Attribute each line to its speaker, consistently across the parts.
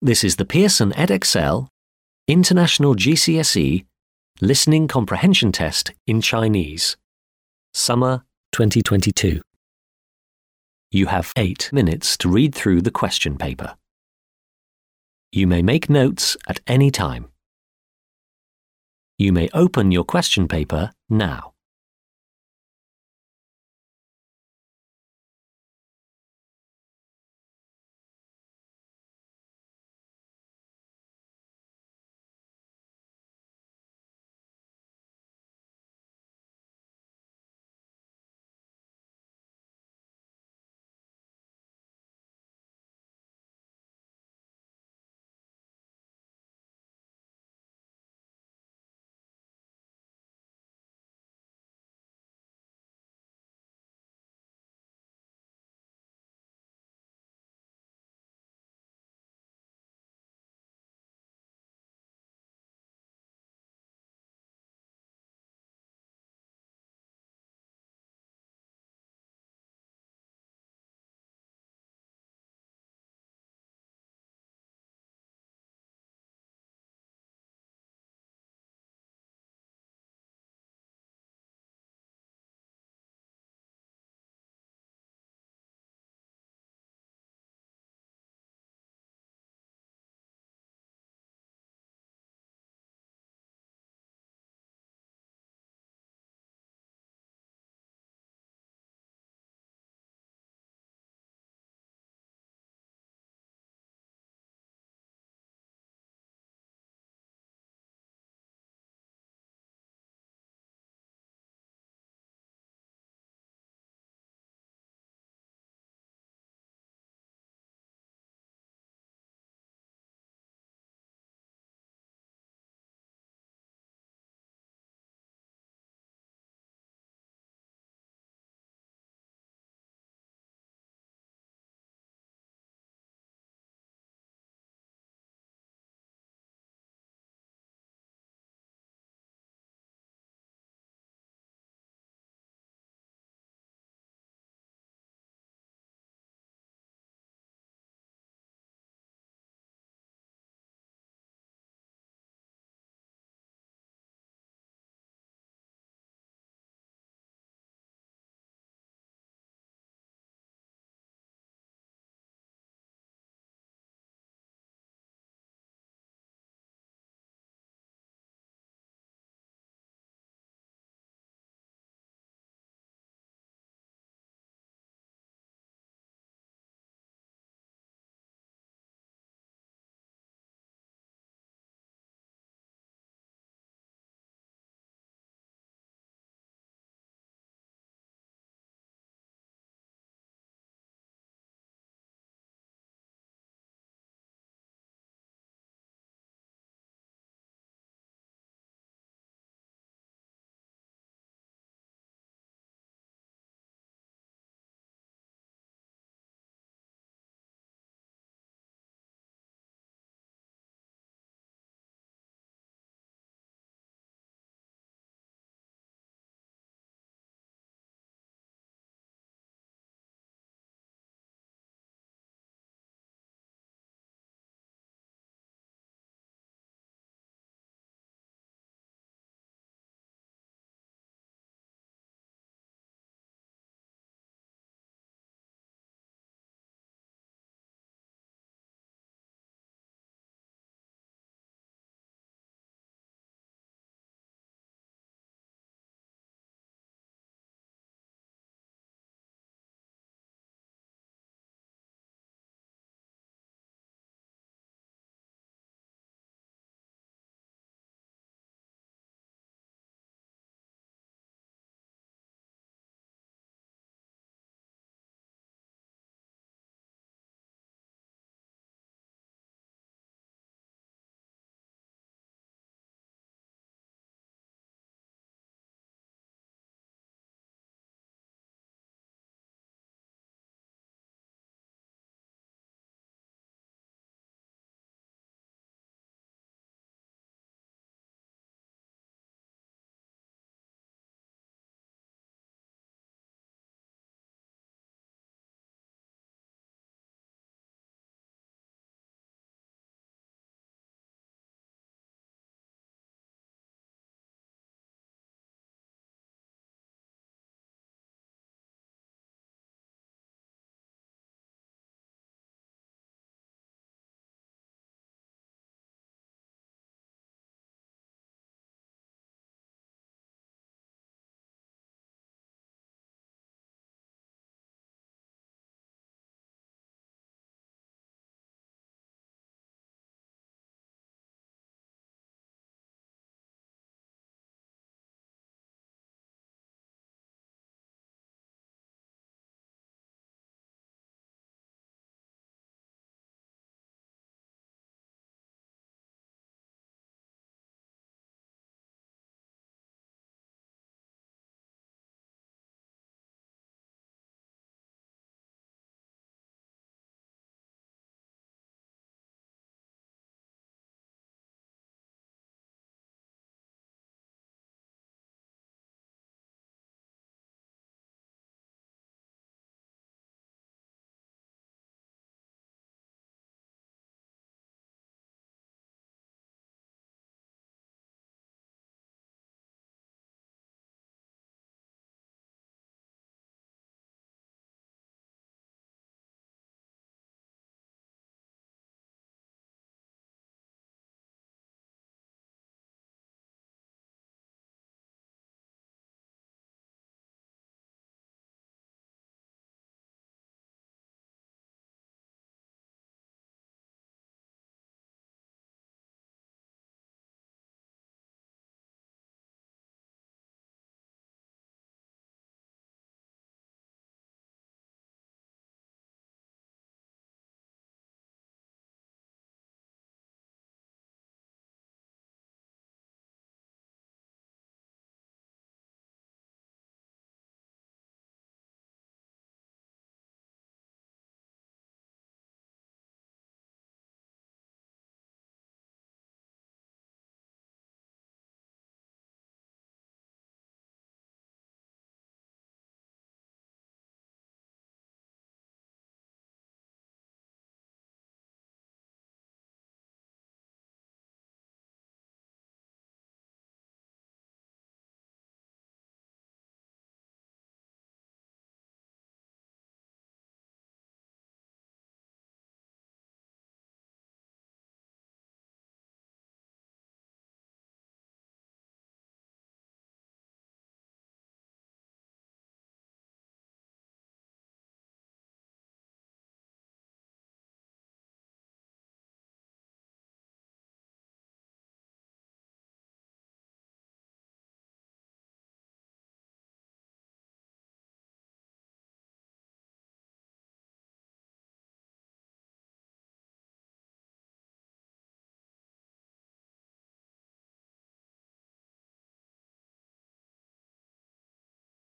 Speaker 1: This is the Pearson Edexcel International GCSE Listening Comprehension Test in Chinese, Summer 2022. You have 8 minutes to read through the question paper. You may make notes at any time. You may open your question paper now.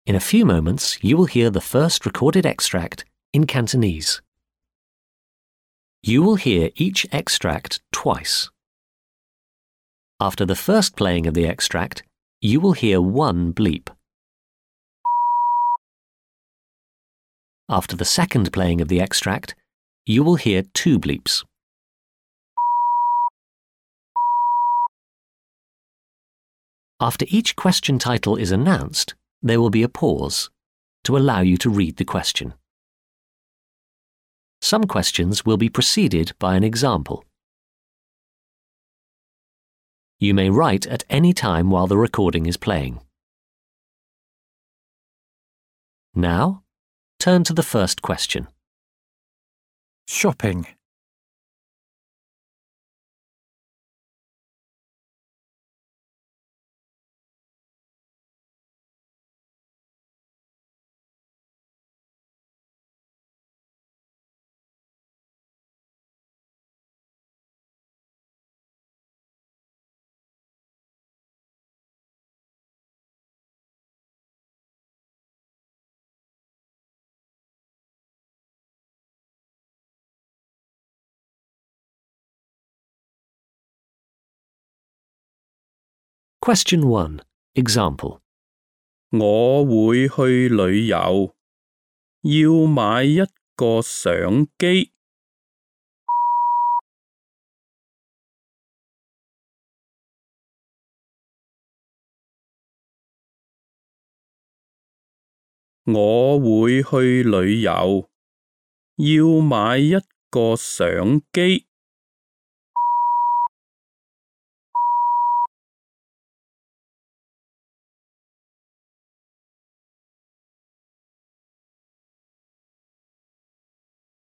Speaker 1: In a few moments, you will hear the first recorded extract in Cantonese. You will hear each extract twice. After the first playing of the extract, you will hear one bleep. After the second playing of the extract, you will hear two bleeps. After each question title is announced, there will be a pause to allow you to read the question. Some questions will be preceded by an example. You may write at any time while the recording is playing. Now, turn to the first question.
Speaker 2: Shopping.
Speaker 1: Question 1. Example.
Speaker 3: 我會去旅遊，要買一個相機。我會去旅遊，要買一個相機。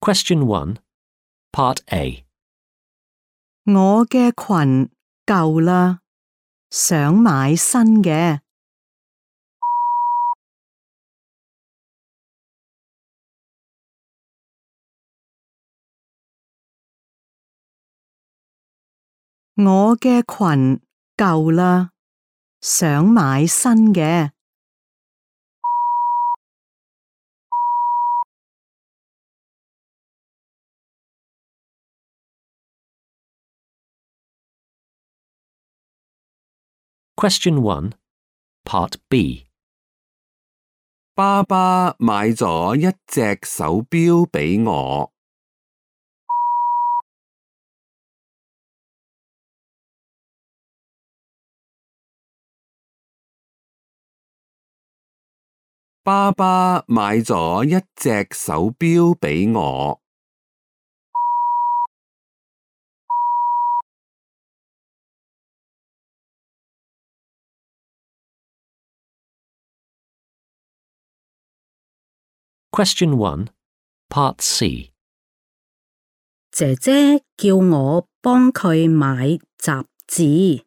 Speaker 1: Question 1. Part A.
Speaker 4: 我嘅裙舊啦，想買新嘅。我嘅裙舊啦，想買新嘅。
Speaker 1: Question 1. Part B.
Speaker 5: 爸爸買咗一隻手錶俾我。爸爸買咗一隻手錶俾我。
Speaker 1: Question 1. Part C.
Speaker 6: 姐姐叫我幫佢買雜誌。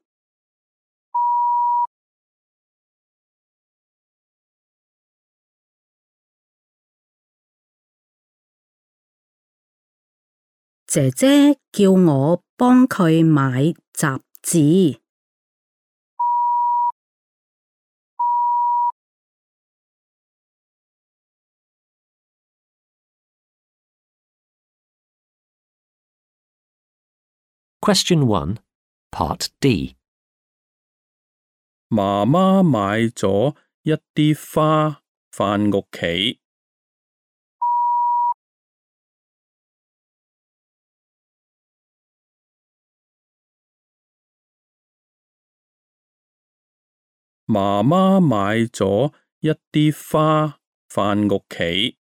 Speaker 6: 姐姐叫我幫佢買雜誌。
Speaker 1: Question 1. Part D.
Speaker 3: 媽媽買咗一啲花返屋企。媽媽買咗一啲花返屋企。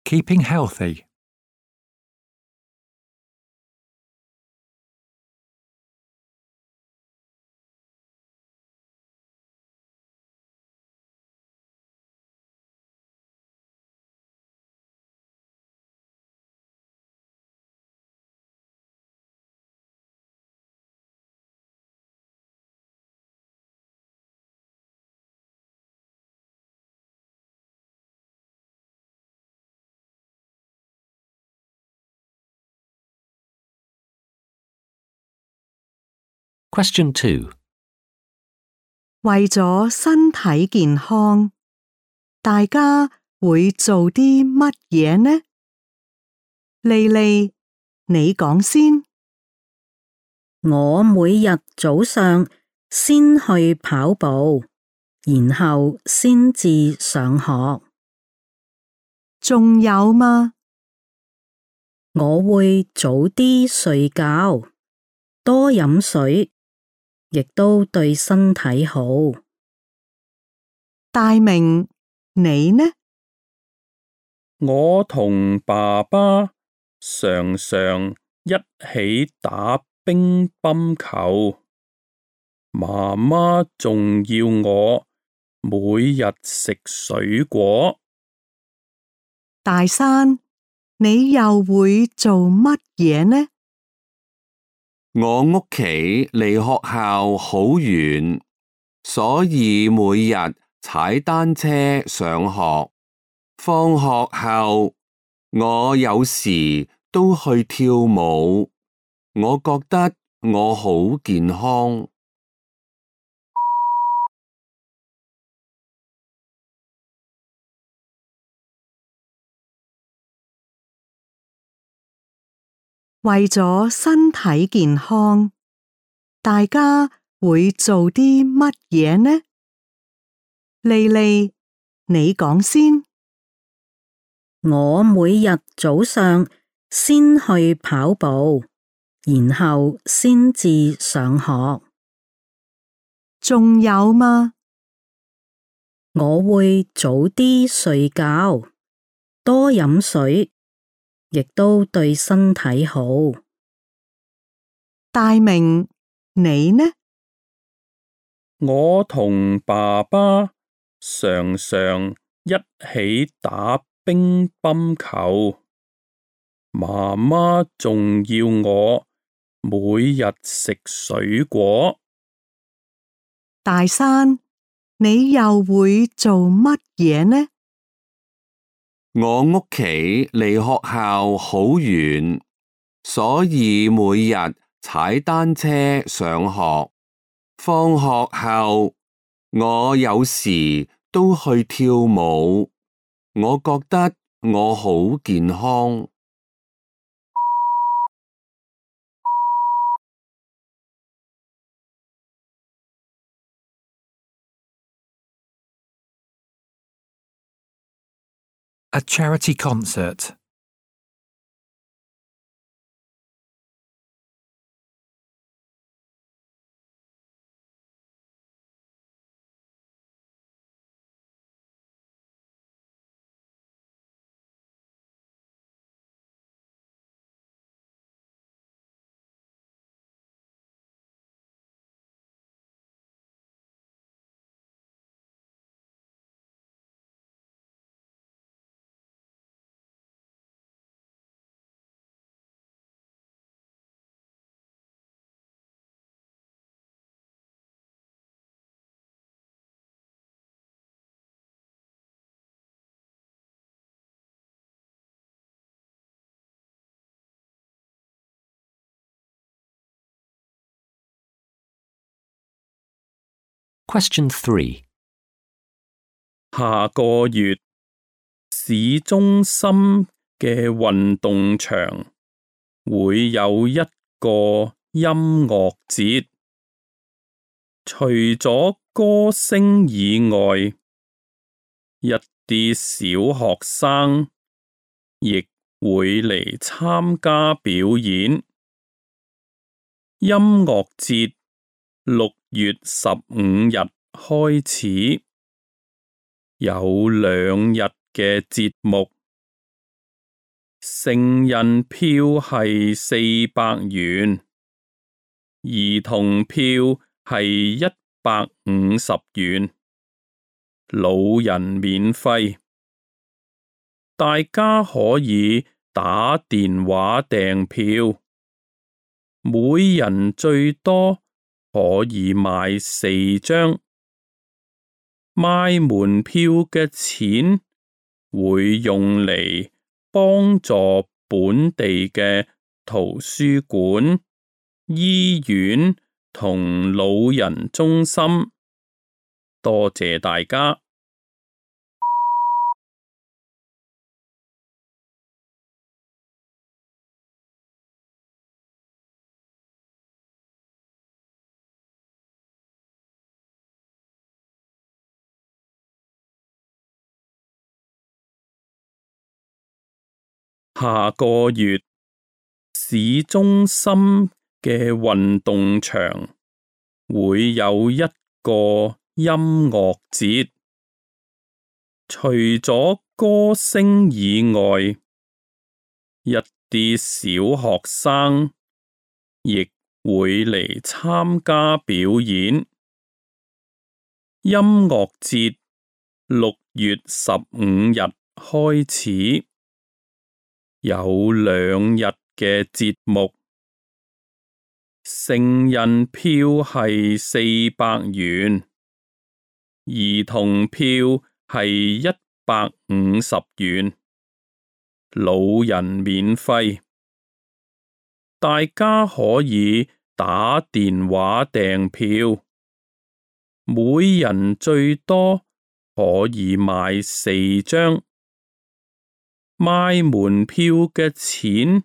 Speaker 2: Keeping healthy.
Speaker 1: Question 2.
Speaker 4: 為咗身體健康，大家會做啲乜嘢呢？莉莉，你講先。
Speaker 6: 我每日早上先去跑步，然後先至上學。
Speaker 4: 仲有嗎？
Speaker 6: 我會早啲睡覺，多飲水，亦都對身體好。
Speaker 4: 大明，你呢？
Speaker 3: 我同爸爸常常一起打乒乓球，媽媽仲要我每日食水果。
Speaker 4: 大山，你又會做乜嘢呢？
Speaker 5: 我屋企離學校好遠，所以每日踩單車上學。放學後，我有時都去跳舞。我覺得我好健康。
Speaker 4: 為咗身體健康，大家會做啲乜嘢呢？莉莉，你講先。
Speaker 6: 我每日早上先去跑步，然後先至上學。
Speaker 4: 仲有嗎？
Speaker 6: 我會早啲睡覺，多飲水，亦都對身體好。
Speaker 4: 大明，你呢？
Speaker 3: 我同爸爸常常一起打乒乓球，媽媽仲要我每日食水果。
Speaker 4: 大山，你又會做乜嘢呢？
Speaker 5: 我屋企離學校好遠，所以每日踩單車上學。放學後，我有時都去跳舞。我覺得我好健康。
Speaker 2: A charity concert.
Speaker 1: Question 3.
Speaker 3: 下個月市中心嘅運動場會有一個音樂節，除咗歌星以外，一啲小學生亦會嚟參加表演。音樂節6月15日開始，有2日嘅節目，成人票係400元，兒童票係150元，老人免費。大家可以打電話訂票，每人最多可以買4張。賣門票嘅錢會用嚟幫助本地嘅圖書館、醫院同老人中心。多謝大家。下個月，市中心嘅運動場會有一個音樂節，除咗歌聲以外，一啲小學生亦會嚟參加表演。音樂節6月15日開始，有2日嘅節目，成人票係400元，兒童票係150元，老人免費。大家可以打電話訂票，每人最多可以買4張。賣門票嘅錢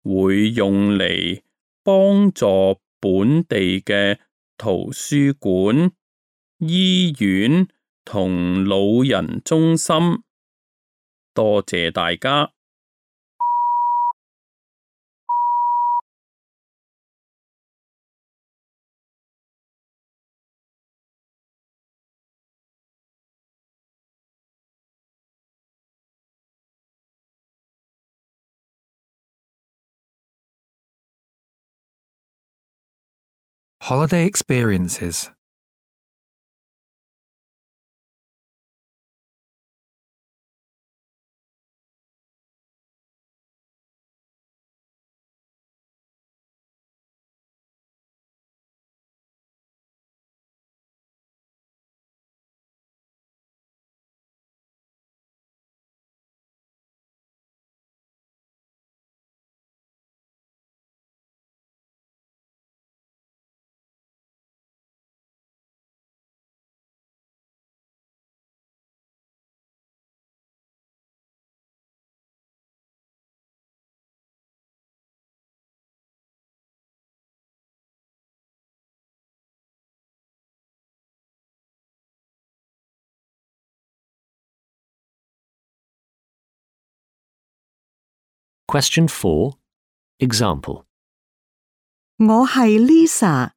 Speaker 3: 會用嚟幫助本地嘅圖書館、醫院同老人中心。多謝大家。
Speaker 2: Holiday experiences.
Speaker 1: Question 4. Example.
Speaker 4: 我係 Lisa，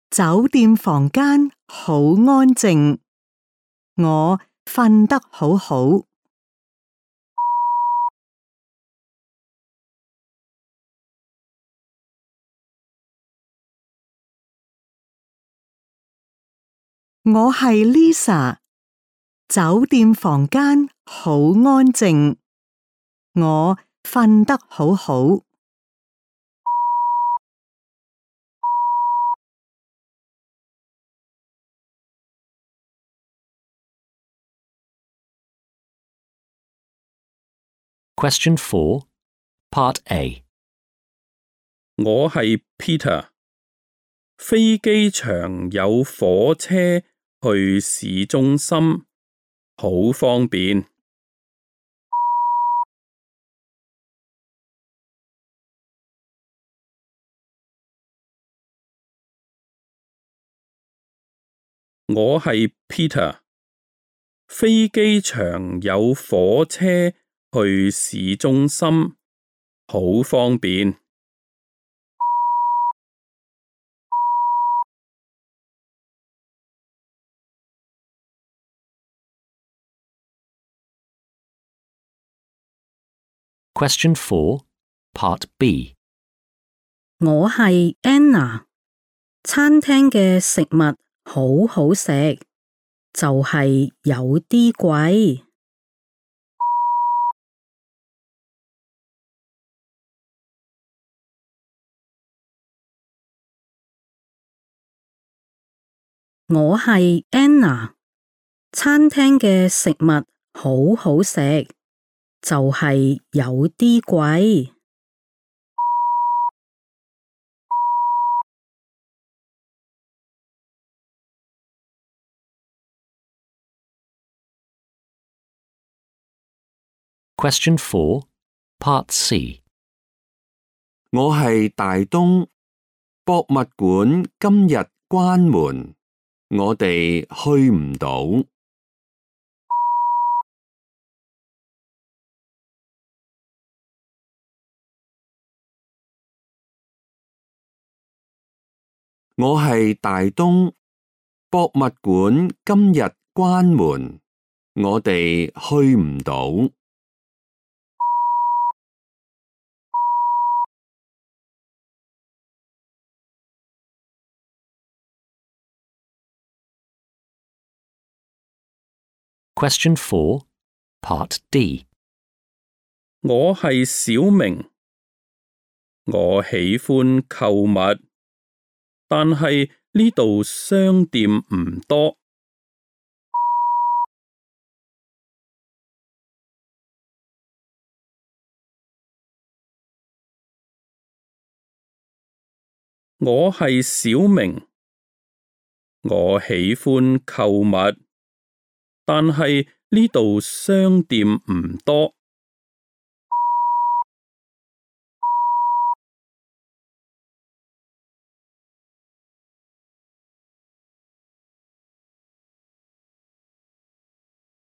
Speaker 4: 酒店房間好安靜，我瞓得好好。我係 Lisa， 酒店房間好安靜，我瞓得好好。
Speaker 1: Question 4. Part A.
Speaker 3: 我係 Peter， 飛機場有火車去市中心，好方便。我係 Peter， 飛機場有火車去市中心，好方便。
Speaker 1: Question 4. Part B.
Speaker 6: 我係 Anna， 餐廳嘅食物好好食，就係有啲貴。我係 Anna， 餐廳嘅食物好好食，就係有啲貴。
Speaker 1: Question 4, Part C.
Speaker 5: 我係大東，博物館今日關門，我哋去唔到。我係大東，博物館今日關門，我哋去唔到。
Speaker 1: Question 4, Part D.
Speaker 3: 我係小明，我喜歡購物，但係呢度商店唔多。我係小明，我喜歡購物，但係呢度商店唔多。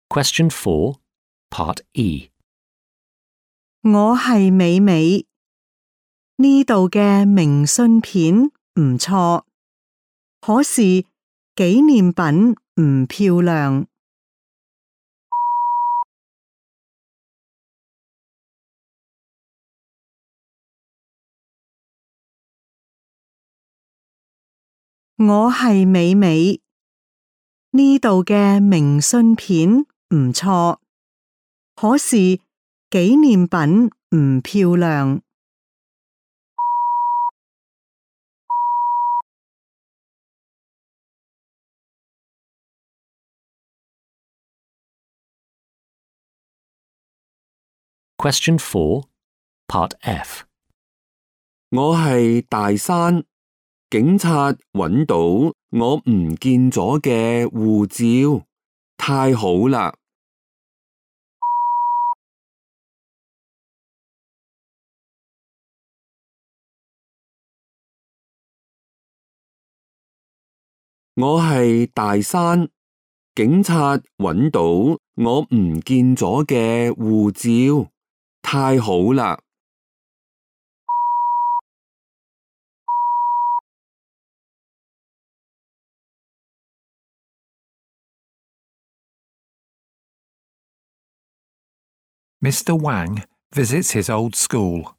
Speaker 1: Question 4, Part E.
Speaker 4: 我係美美，呢度嘅明信片唔錯，可是紀念品唔漂亮。我係美美，呢度嘅明信片唔錯，可是紀念品唔漂亮。
Speaker 1: Question 4, Part F.
Speaker 5: 我係大山，警察揾到我唔見咗嘅護照，太好啦！我係大山，警察揾到我唔見咗嘅護照，太好啦！Mr.
Speaker 2: Wang visits his old school.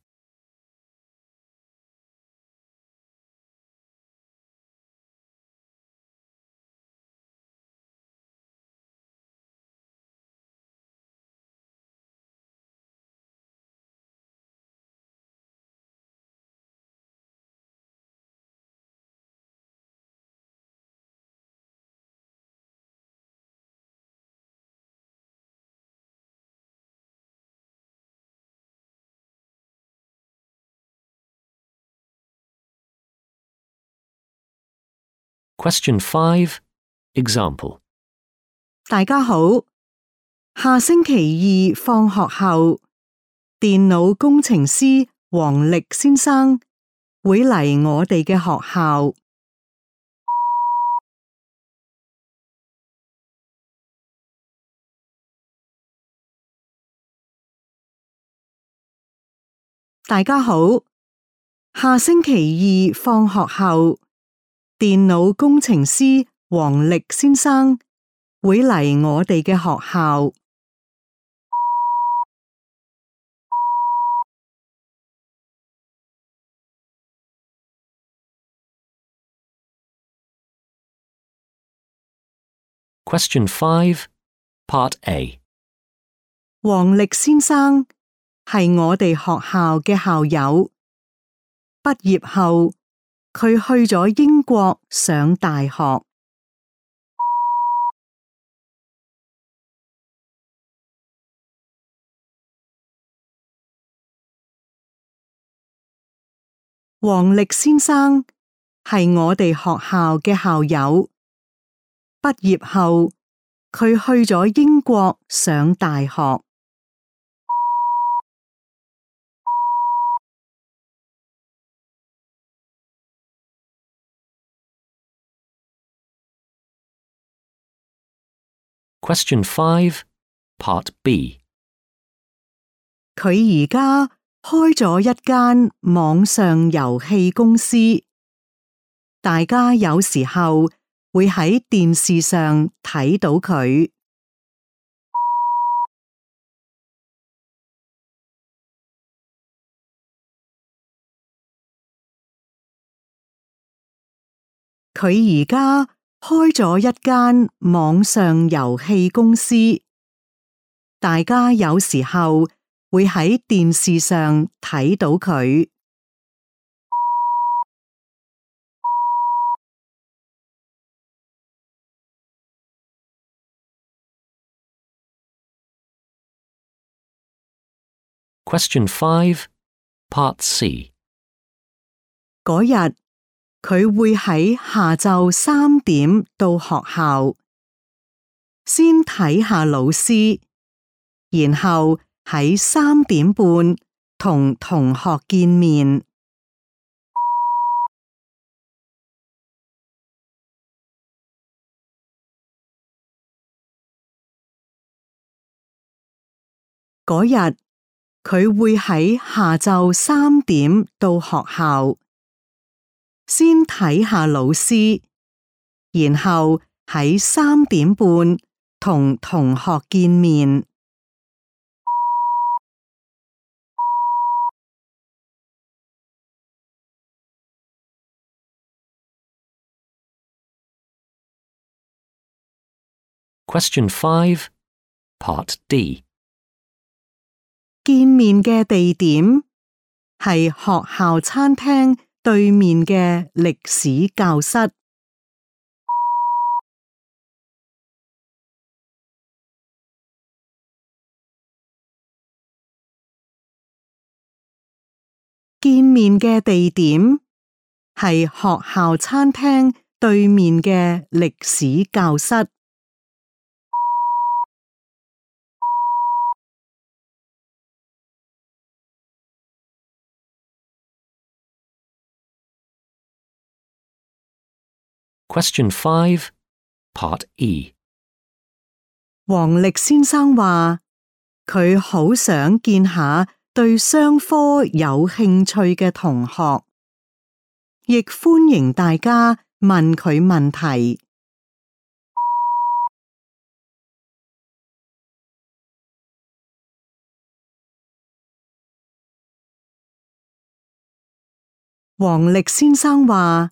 Speaker 1: Question 5, Example.
Speaker 4: 大家好，下星期二放學後，電腦工程師黃力先生會嚟我哋嘅學校。大家好，下星期二放學後，電腦工程師黃力先生會嚟我哋嘅學校。
Speaker 1: Question 5, Part A.
Speaker 4: 黃力先生係我哋學校嘅校友，畢業後佢去咗英國上大學。黃力先生係我哋學校嘅校友，畢業後佢去咗英國上大學。
Speaker 1: Question 5, Part B.
Speaker 4: 佢而家開咗一間網上遊戲公司，大家有時候會喺電視上睇到佢。佢而家開咗一間網上遊戲公司，大家有時候會喺電視上睇到佢。
Speaker 1: Question 5, Part C.
Speaker 4: 嗰日佢會喺下晝3點到學校，先睇下老師，然後喺3點半同同學見面。嗰日佢會喺下晝3點到學校，先睇下老師，然後喺3點半同同學見面。
Speaker 1: Question 5, Part D.
Speaker 4: 見面嘅地點係學校餐廳對面嘅歷史教室。見面嘅地點係學校餐廳對面嘅歷史教室。
Speaker 1: Question 5, Part E.
Speaker 4: 黃力先生話，佢好想見下對商科有興趣嘅同學，亦歡迎大家問佢問題。黃力先生話，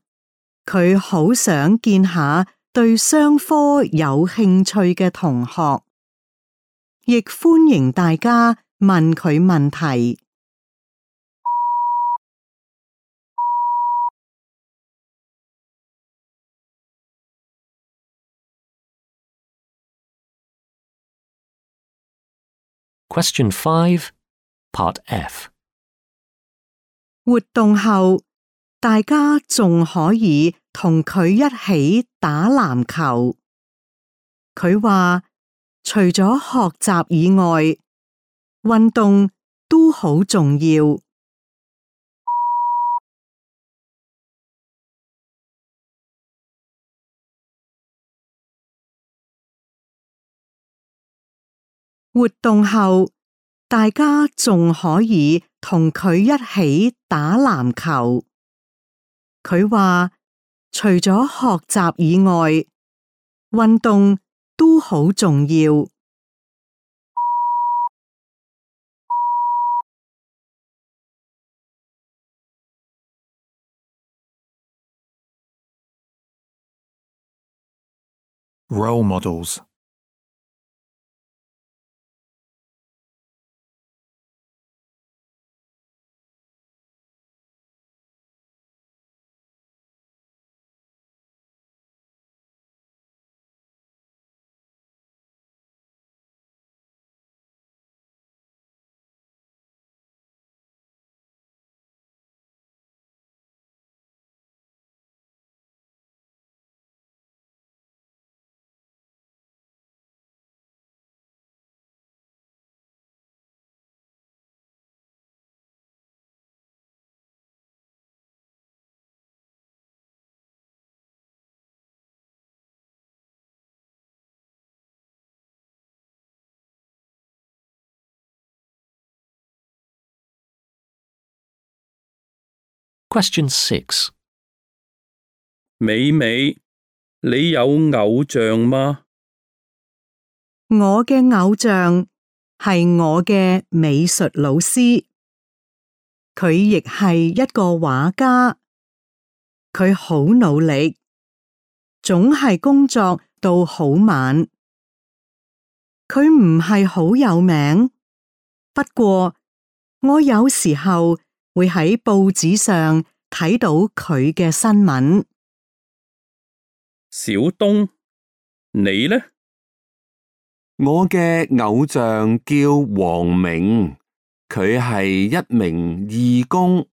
Speaker 4: 佢好想見下對商科有興趣嘅同學，亦歡迎大家問佢問題。
Speaker 1: Question 5, Part F.
Speaker 4: 活動後，大家仲可以同佢一起打籃球。佢話，除咗學習以外，運動都好重要。活動後，大家仲可以同佢一起打籃球。佢話，除咗學習以外，運動都好重要。
Speaker 2: Role models.
Speaker 1: Question 6.
Speaker 3: 美美，你有偶像嗎？
Speaker 4: 我嘅偶像係我嘅美術老師，佢亦係一個畫家，佢好努力，總係工作到好晚。佢唔係好有名，不過我有時候會喺報紙上睇到佢嘅新聞。
Speaker 3: 小東，你呢？
Speaker 5: 我嘅偶像叫黃明，佢係一名義工，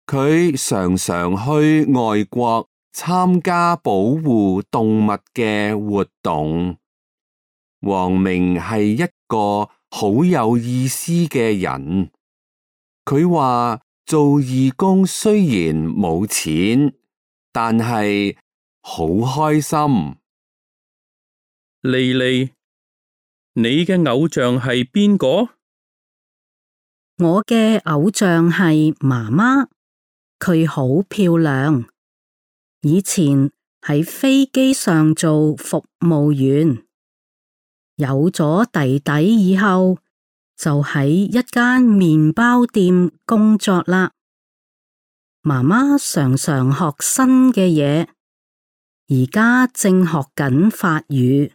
Speaker 5: 佢常常去外國參加保護動物嘅活動。黃明係一個好有意思嘅人，佢話做義工雖然冇錢，但係好開心。
Speaker 3: 莉莉，你嘅偶像係邊個？
Speaker 6: 我嘅偶像係媽媽，佢好漂亮。以前喺飛機上做服務員，有咗弟弟以後，就喺一間麵包店工作啦。媽媽常常學新嘅嘢，而家正學緊法語。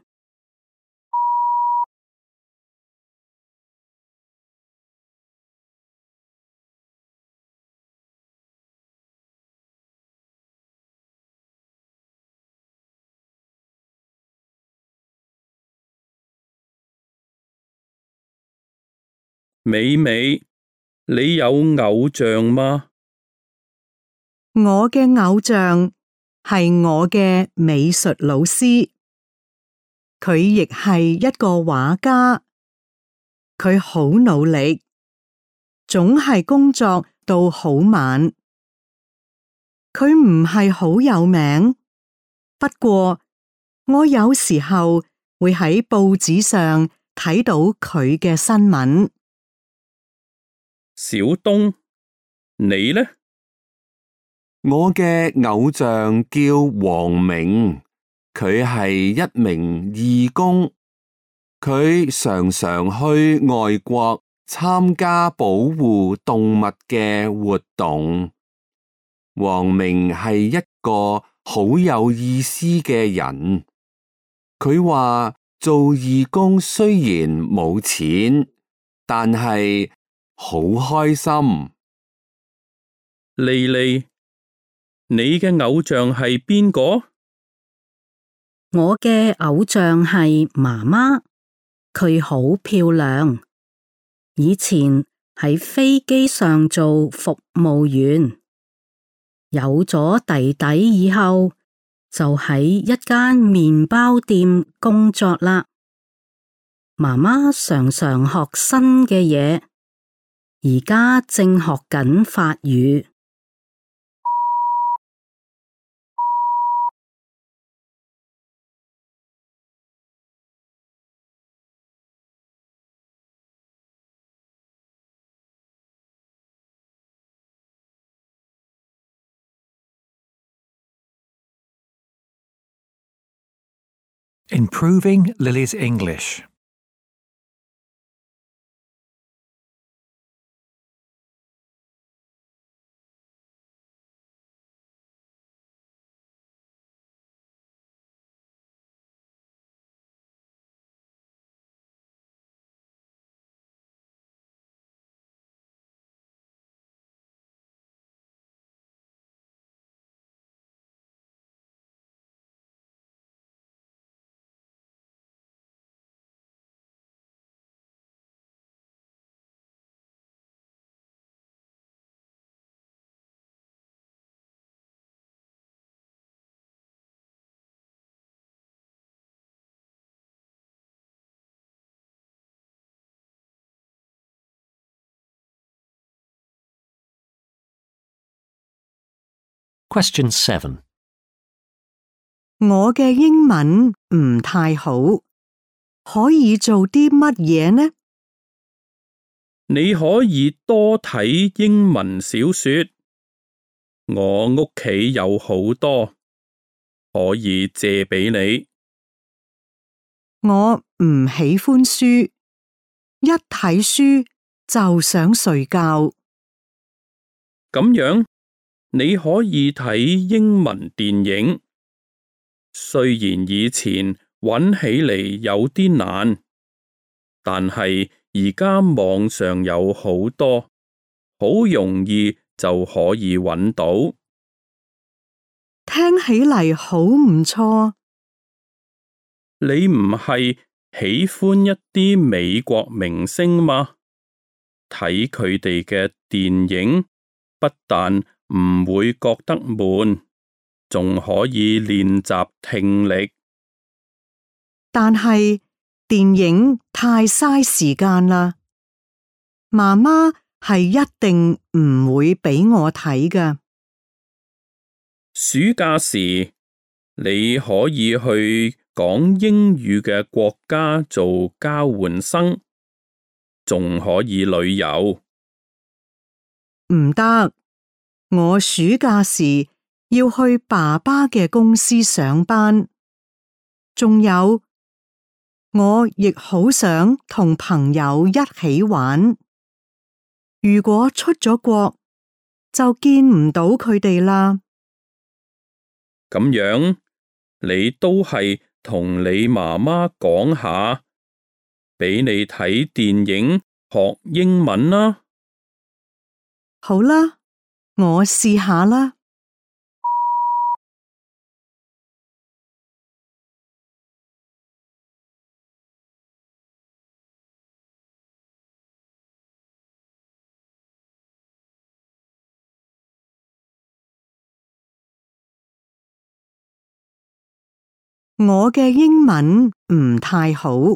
Speaker 3: 美美，你有偶像嗎？
Speaker 4: 我嘅偶像係我嘅美術老師，佢亦係一個畫家，佢好努力，總係工作到好晚。佢唔係好有名，不過我有時候會喺報紙上睇到佢嘅新聞。
Speaker 3: 小東，你呢？
Speaker 5: 我嘅偶像叫黃明，佢係一名義工，佢常常去外國參加保護動物嘅活動。黃明係一個好有意思嘅人，佢話做義工雖然冇錢，但係好開心。
Speaker 3: 莉莉，你嘅偶像係邊個？
Speaker 6: 我嘅偶像係媽媽，佢好漂亮。以前喺飛機上做服務員，有咗弟弟以後，就喺一間麵包店工作啦。媽媽常常學新嘅嘢，而家正學緊法語。
Speaker 2: Improving Lily's English.
Speaker 1: Question 7.
Speaker 4: 我嘅英文唔太好，可以做啲乜嘢呢？
Speaker 3: 你可以多睇英文小說。我屋企有好多，可以借俾你。
Speaker 4: 我唔喜歡書，一睇書就想睡覺。
Speaker 3: 咁樣，你可以睇英文電影，雖然以前揾起嚟有啲難，但係而家網上有好多，好容易就可以揾到。
Speaker 4: 聽起嚟好唔錯。
Speaker 3: 你唔係喜歡一啲美國明星嗎？睇佢哋嘅電影，不但唔會覺得悶，仲可以練習聽力。
Speaker 4: 但係電影太嘥時間啦，媽媽係一定唔會俾我睇㗎。
Speaker 3: 暑假時，你可以去講英語嘅國家做交換生，仲可以旅遊。
Speaker 4: 唔得，我暑假時要去爸爸嘅公司上班，仲有我亦好想同朋友一起玩。如果出咗國，就見唔到佢哋啦。
Speaker 3: 咁樣，你都係同你媽媽講下，俾你睇電影學英文啦。
Speaker 4: 好啦，我試下啦。我嘅英文唔太好，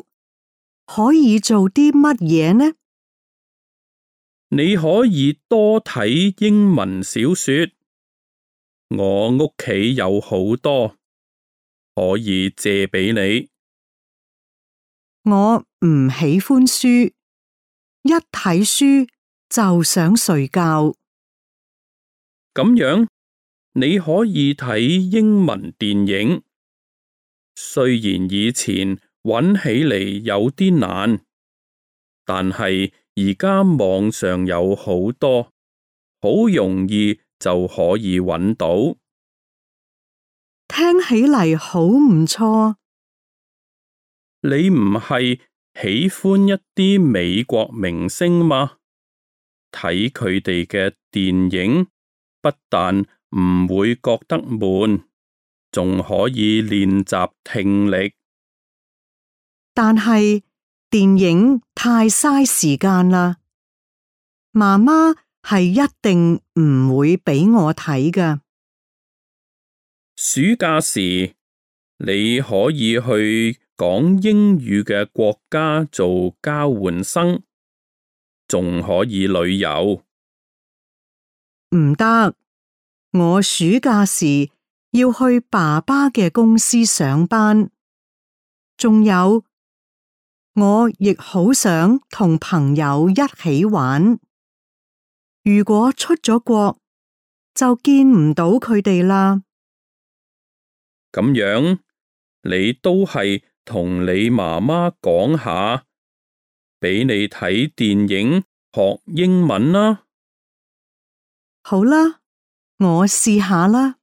Speaker 4: 可以做啲乜嘢呢？
Speaker 3: 你可以多睇英文小說，我屋企有好多，可以借俾你。
Speaker 4: 我唔喜歡書，一睇書就想睡覺。
Speaker 3: 咁樣，你可以睇英文電影，雖然以前揾起嚟有啲難，但係而家網上有好多，好容易就可以揾到。
Speaker 4: 聽起嚟好唔錯。
Speaker 3: 你唔係喜歡一啲美國明星嗎？睇佢哋嘅電影，不但唔會覺得悶，仲可以練習聽力。
Speaker 4: 但係電影太嘥時間啦，媽媽係一定唔會俾我睇㗎。
Speaker 3: 暑假時，你可以去講英語嘅國家做交換生，仲可以旅遊。
Speaker 4: 唔得，我暑假時要去爸爸嘅公司上班，仲有我亦好想同朋友一起玩。如果出咗國，就見唔到佢哋啦。
Speaker 3: 咁樣，你都係同你媽媽講下，俾你睇電影學英文啦。
Speaker 4: 好啦，我試下啦。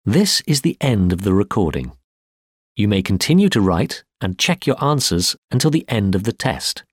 Speaker 1: This is the end of the recording. You may continue to write and check your answers until the end of the test.